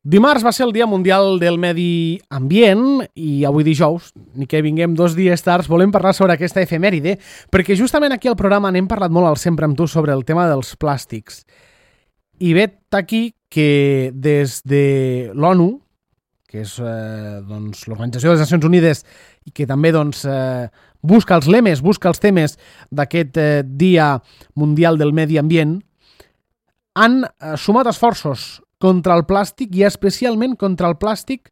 Dimarts va ser el Dia Mundial del Medi Ambient i avui dijous, ni que vinguem 2 dies tard, volem parlar sobre aquesta efemèride perquè justament aquí al programa n'hem parlat molt al Sempre amb tu sobre el tema dels plàstics. I vet aquí que des de l'ONU, que és l'Organització de les Nacions Unides i que també busca els lemes, busca els temes d'aquest Dia Mundial del Medi Ambient, han sumat esforços contra el plàstic i especialment contra el plàstic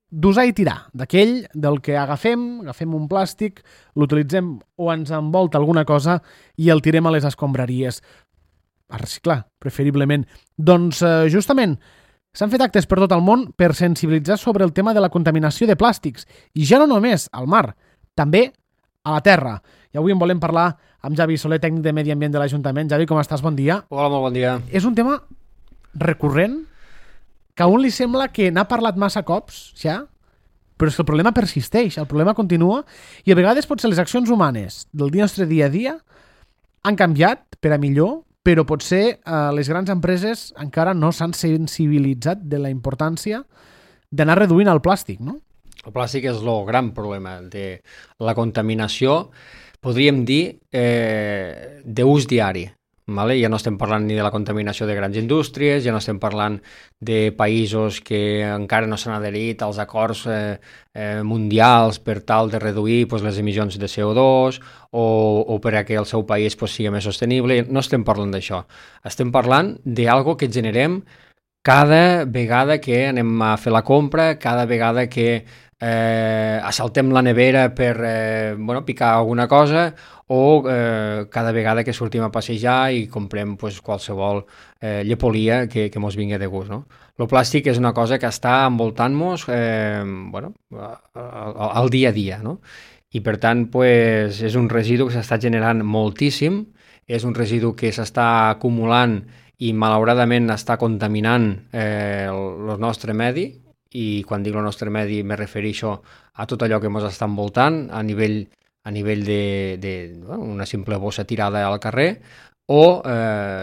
d'usar i tirar, d'aquell del que agafem un plàstic, l'utilitzem o ens envolta alguna cosa i el tirem a les escombraries. A reciclar, preferiblement. Doncs justament s'han fet actes per tot el món per sensibilitzar sobre el tema de la contaminació de plàstics i ja no només al mar, també a la terra. I avui en volem parlar amb Javi Soler, tècnic de Medi Ambient de l'Ajuntament. Javi, com estàs? Bon dia. Hola, molt bon dia. És un tema recurrent que a un li sembla que n'ha parlat massa cops ja, però és que el problema persisteix, el problema continua i a vegades potser les accions humanes del nostre dia a dia han canviat per a millor, però potser les grans empreses encara no s'han sensibilitzat de la importància d'anar reduint el plàstic, no? El plàstic és el gran problema de la contaminació, podríem dir, d'ús diari. Vale? Ja no estem parlant ni de la contaminació de grans indústries, ja no estem parlant de països que encara no s'han adherit als acords mundials per tal de reduir les emissions de CO2 o perquè el seu país sigui més sostenible. No estem parlant d'això. Estem parlant d'algo que generem cada vegada que anem a fer la compra, cada vegada que assaltem la nevera per picar alguna cosa o cada vegada que sortim a passejar i comprem qualsevol llepolia que mos vingui de gust. No? El plàstic és una cosa que està envoltant-nos al dia a dia. No? I per tant és un residu que s'està generant moltíssim, és un residu que s'està acumulant i malauradament està contaminant el nostre medi. I quan dic el nostre medi me refereixo a tot allò que ens està envoltant a nivell una simple bossa tirada al carrer o,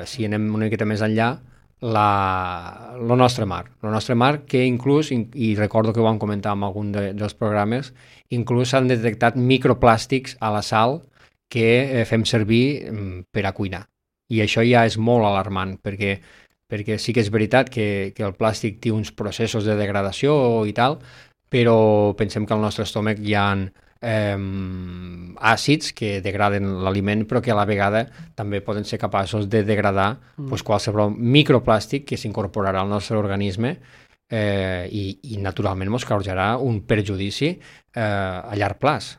si anem una miqueta més enllà, el nostre mar. El nostre mar que inclús, i recordo que ho vam comentar en algun dels programes, inclús s'han detectat microplàstics a la sal que fem servir per a cuinar. I això ja és molt alarmant perquè sí que és veritat que el plàstic té uns processos de degradació i tal, però pensem que al nostre estómac hi ha àcids que degraden l'aliment, però que a la vegada també poden ser capaços de degradar qualsevol microplàstic que s'incorporarà al nostre organisme i naturalment ens causarà un perjudici a llarg plaç.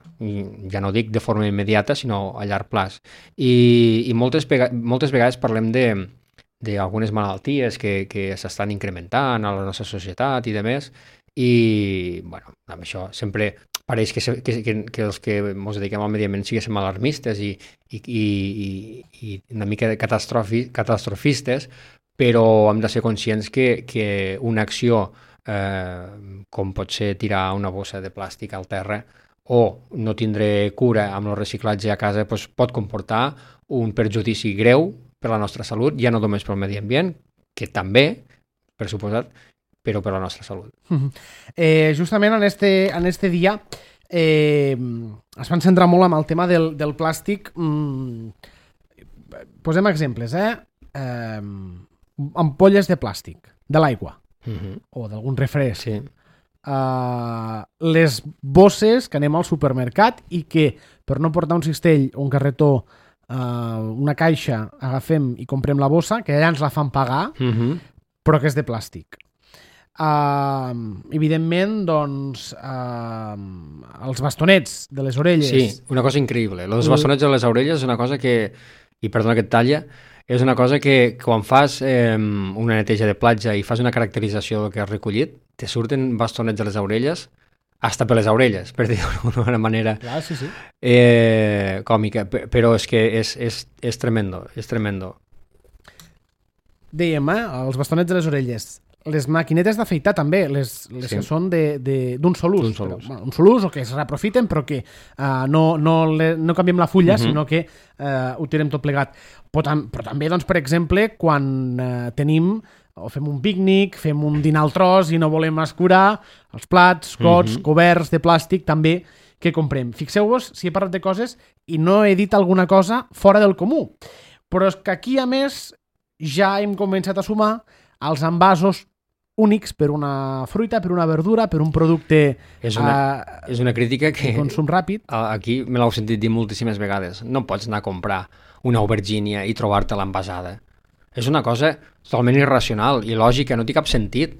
Ja no dic de forma immediata, sinó a llarg plaç. I moltes vegades parlem d'algunes malalties que s'estan incrementant a la nostra societat i demés, i amb això sempre pareix que els que ens dediquem al medi ambient siguéssim alarmistes i una mica catastrofistes, però hem de ser conscients que una acció com pot ser tirar una bossa de plàstic al terra o no tindre cura amb el reciclatge a casa pot comportar un perjudici greu per la nostra salut, ja no només pel medi ambient, que també, per suposat, però per la nostra salut. Justament en este dia es van centrar molt amb el tema del plàstic. Posem exemples, ampolles de plàstic, de l'aigua, o d'algun refresc. Sí. Les bosses que anem al supermercat i que per no portar un cistell o un carretó una caixa, agafem i comprem la bossa, que allà ens la fan pagar, però que és de plàstic. Evidentment, doncs, els bastonets de les orelles. Sí, una cosa increïble. Els bastonets de les orelles és una cosa que, i perdona que et talla, és una cosa que quan fas una neteja de platja i fas una caracterització del que has recollit, te surten bastonets de les orelles hasta per les orelles, per dir-ho d'una manera còmica, però és que és tremendo, és tremendo. Dèiem, els bastonets de les orelles. Les maquinetes d'afeitar també, les que són d'un sol ús. Un sol ús o que es reaprofiten però que no canviem la fulla, sinó que ho tirem tot plegat. Però també, doncs, per exemple, quan tenim o fem un pícnic, fem un dinar al tros i no volem escurar els plats, cots, coberts de plàstic també que comprem. Fixeu-vos si he parlat de coses i no he dit alguna cosa fora del comú. Però és que aquí, a més, ja hem començat a sumar els envasos únics per una fruita, per una verdura, per un producte és una crítica que de consum ràpid. Aquí me l'heu sentit dir moltíssimes vegades. No pots anar a comprar una aubergínia i trobar-te-la envasada. És una cosa totalment irracional i lògica, no té cap sentit.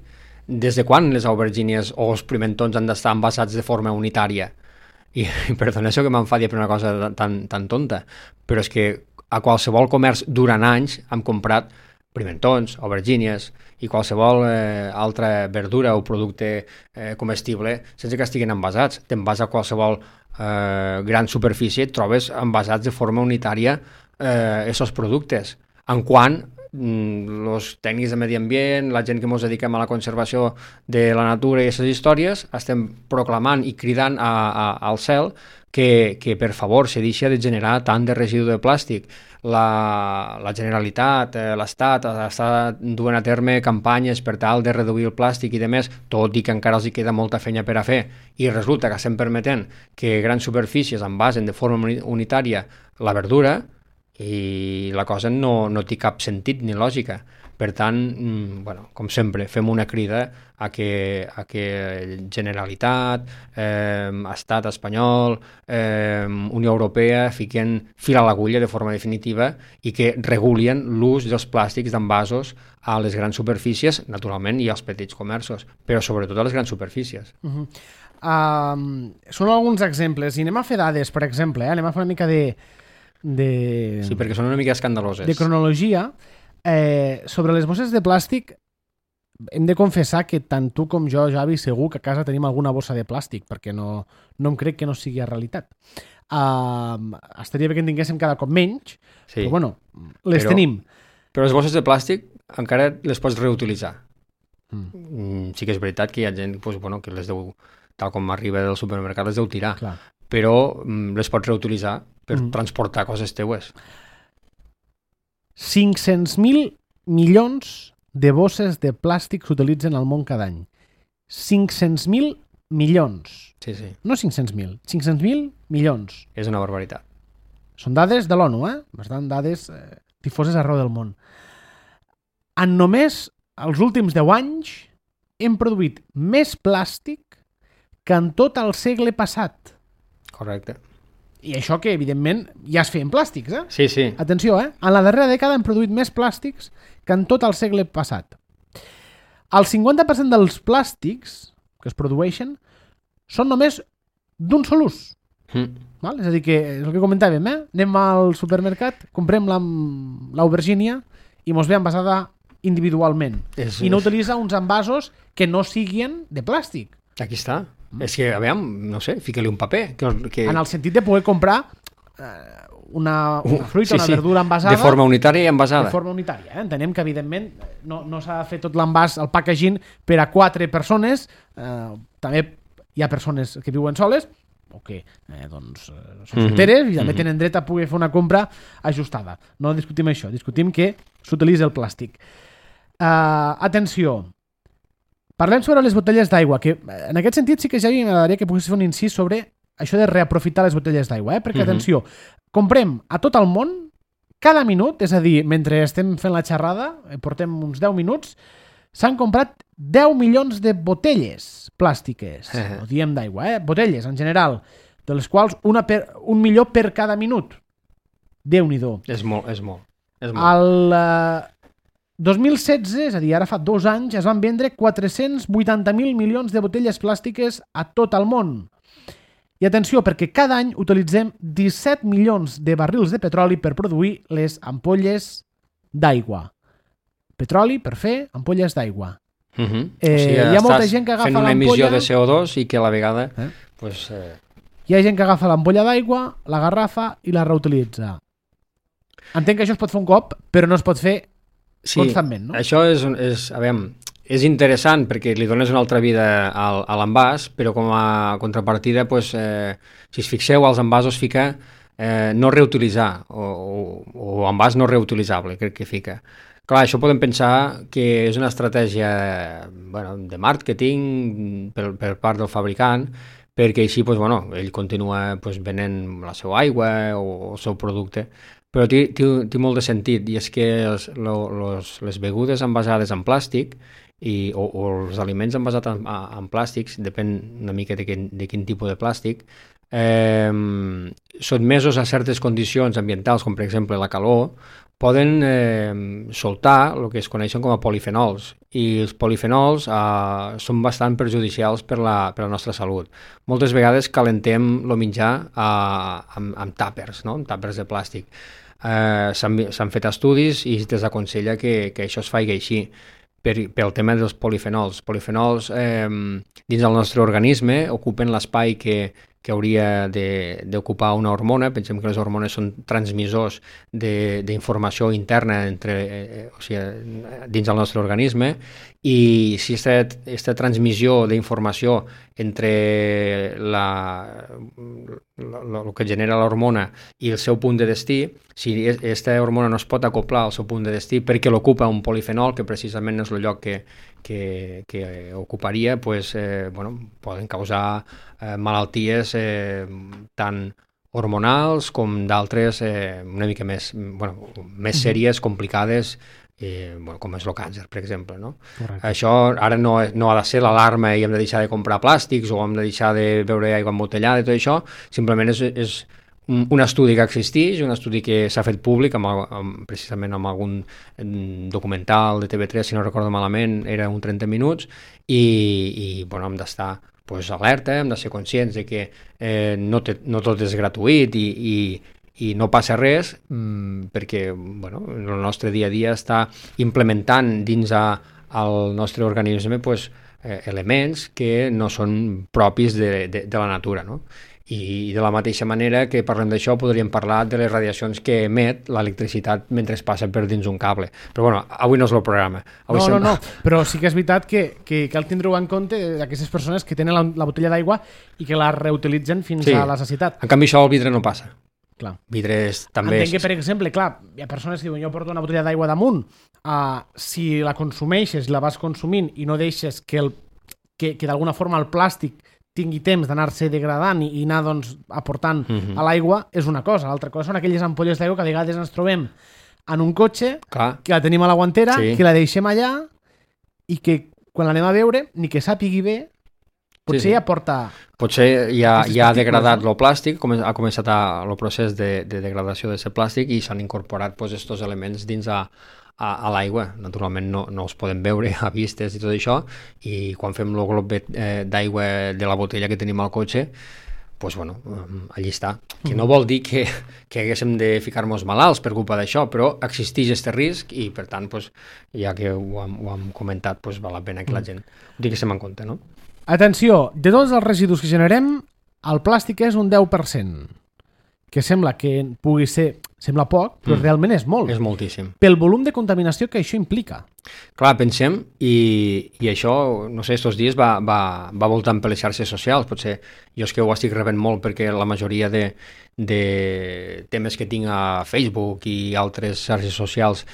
Des de quan les aubergínies o els pimentons han d'estar envasats de forma unitària? I perdona això que m'enfadi per una cosa tan tonta, però és que a qualsevol comerç durant anys hem comprat pimentons, aubergínies i qualsevol altra verdura o producte comestible sense que estiguin envasats. Te'n vas a qualsevol gran superfície i et trobes envasats de forma unitària aquests productes. En quant els tècnics de medi ambient, la gent que ens dediquem a la conservació de la natura i aquestes històries, estem proclamant i cridant al cel que per favor se deixa de generar tant de residu de plàstic. La Generalitat, l'Estat està duent a terme campanyes per tal de reduir el plàstic i demés, tot i que encara els hi queda molta feina per a fer, i resulta que estem permetent que grans superfícies envasen de forma unitària la verdura i la cosa no té cap sentit ni lògica. Per tant, com sempre, fem una crida a que Generalitat, Estat espanyol, Unió Europea fiquen fil a l'agulla de forma definitiva i que regulin l'ús dels plàstics d'envasos a les grans superfícies, naturalment, i als petits comerços, però sobretot a les grans superfícies. Són alguns exemples, i anem a fer dades, per exemple, anem a fer una mica de... Sí, perquè són una mica escandaloses. De cronologia. Sobre les bosses de plàstic hem de confessar que tant tu com jo, Javi, segur que a casa tenim alguna bossa de plàstic, perquè no em crec que no sigui realitat. Estaria bé que en tinguéssim cada cop menys, sí, però bueno, les tenim. Però les bosses de plàstic encara les pots reutilitzar. Sí que és veritat que hi ha gent que les deu, tal com arriba del supermercat, les deu tirar. Clar. Però les pots reutilitzar per transportar coses teues. 500.000 milions de bosses de plàstic s'utilitzen al món cada any. 500.000 milions. Sí, sí. No 500.000, 500.000 milions. És una barbaritat. Són dades de l'ONU, bastant dades difoses arreu del món. En només els últims 10 anys hem produït més plàstic que en tot el segle passat. Correcte. I això que, evidentment, ja es feien plàstics, Sí, sí. Atenció, En la darrera dècada hem produït més plàstics que en tot el segle passat. El 50% dels plàstics que es produeixen són només d'un sol ús. Val? És a dir, que és el que comentàvem, anem al supermercat, comprem l'aubergínia i mos ve envasada individualment. I no utilitza uns envasos que no siguin de plàstic. Aquí està. És que, aviam, no sé, fica-li un paper. En el sentit de poder comprar una fruita, una verdura envasada. De forma unitària i envasada. De forma unitària. Entenem que, evidentment, no s'ha de fer tot l'envàs, el packaging, per a 4 persones. També hi ha persones que viuen soles o que són solteres i també tenen dret a poder fer una compra ajustada. No discutim això, discutim que s'utilitza el plàstic. Atenció. Parlem sobre les botelles d'aigua, que en aquest sentit sí que ja m'agradaria que pogués fer un incís sobre això de reaprofitar les botelles d'aigua, perquè, atenció, comprem a tot el món, cada minut, és a dir, mentre estem fent la xerrada, portem uns 10 minuts, s'han comprat 10 milions de botelles plàstiques, no diem d'aigua, botelles en general, de les quals un milió per cada minut. Déu-n'hi-do. És molt, és molt. El 2016, és a dir, ara fa 2 anys, es van vendre 480.000 milions de botelles plàstiques a tot el món. I atenció, perquè cada any utilitzem 17 milions de barrils de petroli per produir les ampolles d'aigua. Petroli per fer ampolles d'aigua. O sigui, hi ha molta gent que agafa fent una emissió de CO2 i que a la vegada... Hi ha gent que agafa l'ampolla d'aigua, la garrafa i la reutilitza. Entenc que això es pot fer un cop, però no es pot fer constantment, no? Això és interessant perquè li dones una altra vida a l'envàs, però com a contrapartida, si es fixeu, als envasos fica no reutilitzar o envàs no reutilitzable, crec que fica. Clar, això podem pensar que és una estratègia de màrqueting per part del fabricant, perquè així ell continua venent la seva aigua o el seu producte, però té molt de sentit, i és que les begudes envasades en plàstic o els aliments envasats en plàstics, depèn una mica de quin tipus de plàstic, sotmesos a certes condicions ambientals, com per exemple la calor, poden soltar el que es coneixen com a polifenols, i els polifenols són bastant perjudicials per la nostra salut. Moltes vegades calentem el menjar amb tàpers, no? Amb tàpers de plàstic. S'han fet estudis i es desaconsella que això es faci així pel tema dels polifenols. Polifenols dins del nostre organisme ocupen l'espai que hauria d'ocupar una hormona. Pensem que les hormones són transmissors d'informació interna dins del nostre organisme, i si aquesta transmissió d'informació entre el que genera l'hormona i el seu punt de destí, si aquesta hormona no es pot acoplar al seu punt de destí perquè l'ocupa un polifenol, que precisament no és el lloc que ocuparia, poden causar malalties tant hormonals com d'altres una mica més sèries, complicades, com és el càncer, per exemple, no? Això ara no ha de ser l'alarma i hem de deixar de comprar plàstics o hem de deixar de beure aigua embotellada i tot això. Simplement és un estudi que existeix, un estudi que s'ha fet públic precisament amb algun documental de TV3, si no recordo malament, era un 30 minuts, i hem d'estar alerta, hem de ser conscients de que no tot és gratuït i no passa res, perquè el nostre dia a dia està implementant dins el nostre organisme elements que no són propis de la natura, no? I de la mateixa manera que parlem d'això, podríem parlar de les radiacions que emet l'electricitat mentre passa per dins un cable. Però avui no és el programa. No, però sí que és veritat que cal tindre-ho en compte d'aquestes persones que tenen la botella d'aigua i que la reutilitzen fins a la necessitat. En canvi, això al vidre no passa. Clar. Vidres també... Entenc que, per exemple, hi ha persones que diuen jo porto una botella d'aigua damunt, si la consumeixes, la vas consumint i no deixes que d'alguna forma el plàstic tingui temps d'anar-se degradant i anar aportant a l'aigua, és una cosa. L'altra cosa són aquelles ampolles d'aigua que a vegades ens trobem en un cotxe, que la tenim a la guantera, que la deixem allà i que quan l'anem a veure, ni que sàpigui bé, potser ja porta... Potser ja ha degradat el plàstic, ha començat el procés de degradació d'aquest plàstic i s'han incorporat aquests elements dins a l'aigua. Naturalment no els podem veure a vistes i tot això, i quan fem el glob d'aigua de la botella que tenim al cotxe, allí està. Que no vol dir que haguéssim de ficar-nos malalts per culpa d'això, però existeix aquest risc i, per tant, ja que ho hem comentat, val la pena que la gent ho tinguéssim en compte, no? Atenció, de tots els residus que generem, el plàstic és un 10%, que sembla que pugui ser... Sembla poc, però realment és molt. És moltíssim. Pel volum de contaminació que això implica. Clar, pensem, i això, no sé, estos dies va voltant per les xarxes socials. Potser jo és que ho estic rebent molt perquè la majoria de temes que tinc a Facebook i altres xarxes socials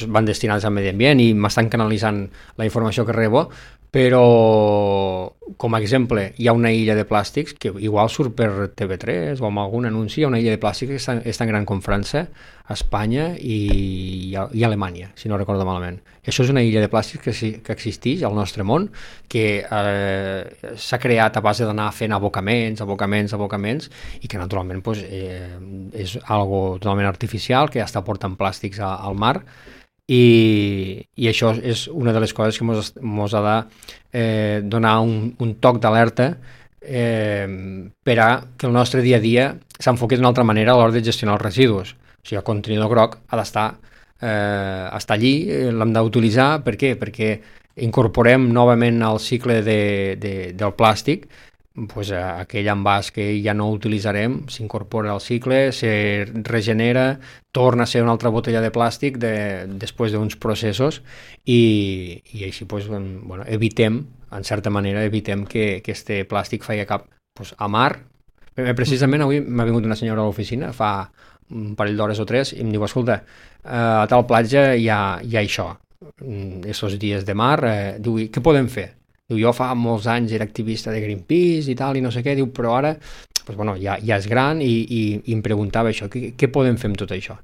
van destinats al medi ambient i m'estan canalitzant la informació que rebo, però com a exemple hi ha una illa de plàstics que igual surt per TV3 o amb algun anunci. Hi ha una illa de plàstics que és tan gran com França, Espanya i Alemanya, si no recordo malament. I això és una illa de plàstics que existeix al nostre món, que s'ha creat a base d'anar fent abocaments i que naturalment és algo totalment artificial, que ja està portant plàstics al mar. I això és una de les coses que mos ha de donar un toc d'alerta per a que el nostre dia a dia s'enfoqui d'una altra manera a l'hora de gestionar els residus. O sigui, el contenidor groc ha d'estar allí, l'hem d'utilitzar. Per què? Perquè incorporem novament al cicle del plàstic aquell envàs que ja no utilitzarem, s'incorpora al cicle, se regenera, torna a ser una altra botella de plàstic després d'uns processos i així evitem, en certa manera, que aquest plàstic faci cap a mar. Precisament avui m'ha vingut una senyora a l'oficina fa un parell d'hores o 3, i em diu, escolta, a tal platja hi ha això, aquests dies de mar, diu, què podem fer? Diu, jo fa molts anys era activista de Greenpeace i tal, i no sé què, diu, però ara pues, bueno, ja és gran i em preguntava això, què podem fer amb tot això?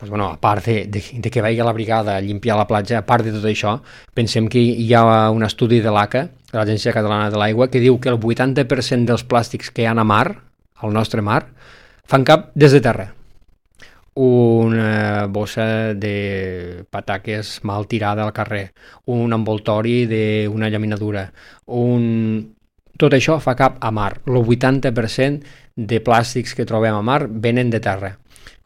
Pues, bueno, a part de que vagi a la brigada a limpiar la platja, a part de tot això, pensem que hi ha un estudi de l'ACA, de l'Agència Catalana de l'Aigua, que diu que el 80% dels plàstics que hi ha a mar, al nostre mar, fan cap des de terra. Una bossa de pataques mal tirada al carrer, un envoltori d'una llaminadura, tot això fa cap a mar. El 80% de plàstics que trobem a mar venen de terra.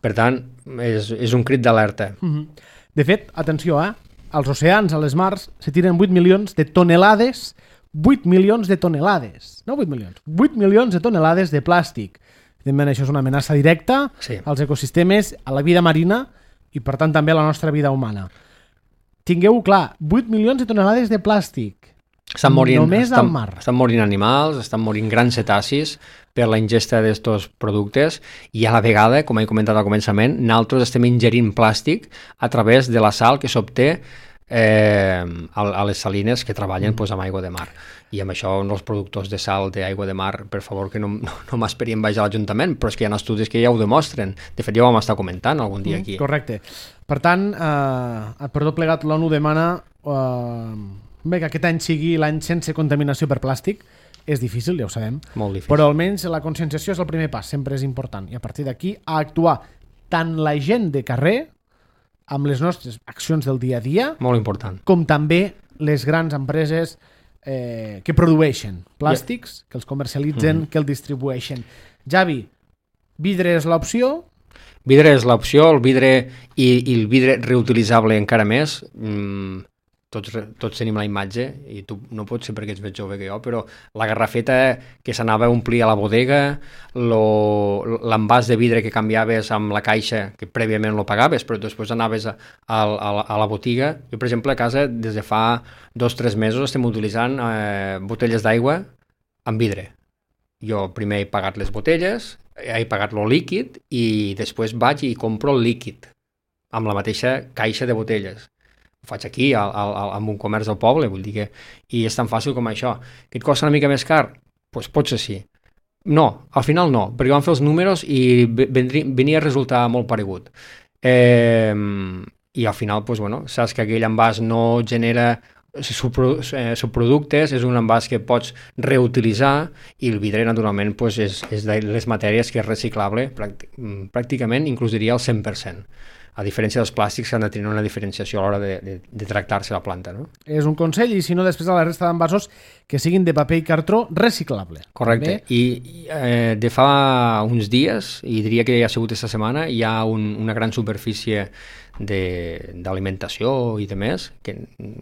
Per tant, és un crit d'alerta. De fet, atenció, als oceans, a les mars, se tiren 8 milions de tonelades, 8 milions de tonelades, no 8 milions, 8 milions de tonelades de plàstic. Evidentment, això és una amenaça directa als ecosistemes, a la vida marina i, per tant, també a la nostra vida humana. Tingueu clar, 8 milions de tonelades de plàstic només al mar. Estan morint animals, estan morint grans cetacis per la ingesta d'aquests productes i a la vegada, com he comentat al començament, nosaltres estem ingerint plàstic a través de la sal que s'obté a les salines que treballen amb aigua de mar. I amb això els productors de sal d'aigua de mar, per favor, que no m'esperien baix a l'Ajuntament, però és que hi ha estudis que ja ho demostren. De fet, ja ho vam estar comentant algun dia aquí. Correcte. Per tant, per tot plegat, l'ONU demana que aquest any sigui l'any sense contaminació per plàstic. És difícil, ja ho sabem. Molt difícil. Però almenys la conscienciació és el primer pas, sempre és important. I a partir d'aquí, a actuar tant la gent de carrer, amb les nostres accions del dia a dia, molt important, com també les grans empreses que produeixen plàstics, que els comercialitzen, que els distribueixen. Javi, vidre és l'opció? Vidre és l'opció, el vidre i el vidre reutilitzable encara més. Tots tenim la imatge, i tu no pots ser perquè ets més jove que jo, però la garrafeta que s'anava a omplir a la bodega, l'envàs de vidre que canviaves amb la caixa, que prèviament lo pagaves, però després anaves a la botiga. Jo, per exemple, a casa, des de fa 2 o 3 mesos estem utilitzant botelles d'aigua amb vidre. Jo primer he pagat les botelles, he pagat lo líquid i després vaig i compro el líquid amb la mateixa caixa de botelles. Ho faig aquí, amb un comerç del poble, vull dir que... I és tan fàcil com això. Que et costa una mica més car? Doncs potser sí. No, al final no, perquè vam fer els números i venia a resultar molt paregut. I al final, doncs, bueno, saps que aquell envàs no genera subproductes, és un envàs que pots reutilitzar i el vidre, naturalment, doncs, és de les matèries que és reciclable, pràcticament, inclús diria el 100%. A diferència dels plàstics que han de tenir una diferenciació a l'hora de tractar-se la planta, no? És un consell, i si no, després a la resta d'envasos que siguin de paper i cartró reciclable. Correcte. També. I de fa uns dies, i diria que ja ha sigut aquesta setmana, hi ha una gran superfície d'alimentació i de més, que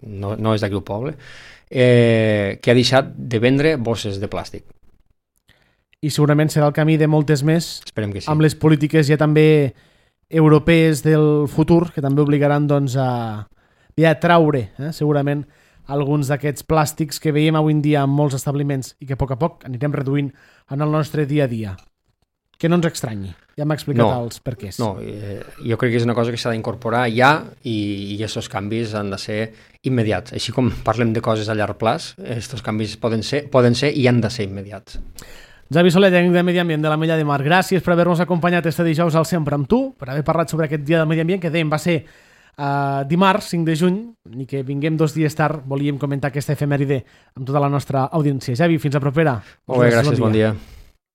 no és d'aquí al poble, que ha deixat de vendre bosses de plàstic. I segurament serà el camí de moltes més. Esperem que sí. Amb les polítiques ja també europees del futur, que també obligaran doncs, a traure segurament alguns d'aquests plàstics que veiem avui en dia en molts establiments i que a poc anirem reduint en el nostre dia a dia. Que no ens estranyi. Ja m'ha explicat els perquès. No, jo crec que és una cosa que s'ha d'incorporar ja i aquests canvis han de ser immediats. Així com parlem de coses a llarg plaç, aquests canvis poden ser i han de ser immediats. Javi Soler, tècnic de Medi Ambient de la Mella de Mar, gràcies per haver-nos acompanyat este dijous al Sempre amb tu, per haver parlat sobre aquest dia del Medi Ambient, que dèiem va ser dimarts 5 de juny, i que vinguem 2 dies tard, volíem comentar aquesta efemèride amb tota la nostra audiència. Javi, fins a propera. Molt bé, gràcies, bon dia.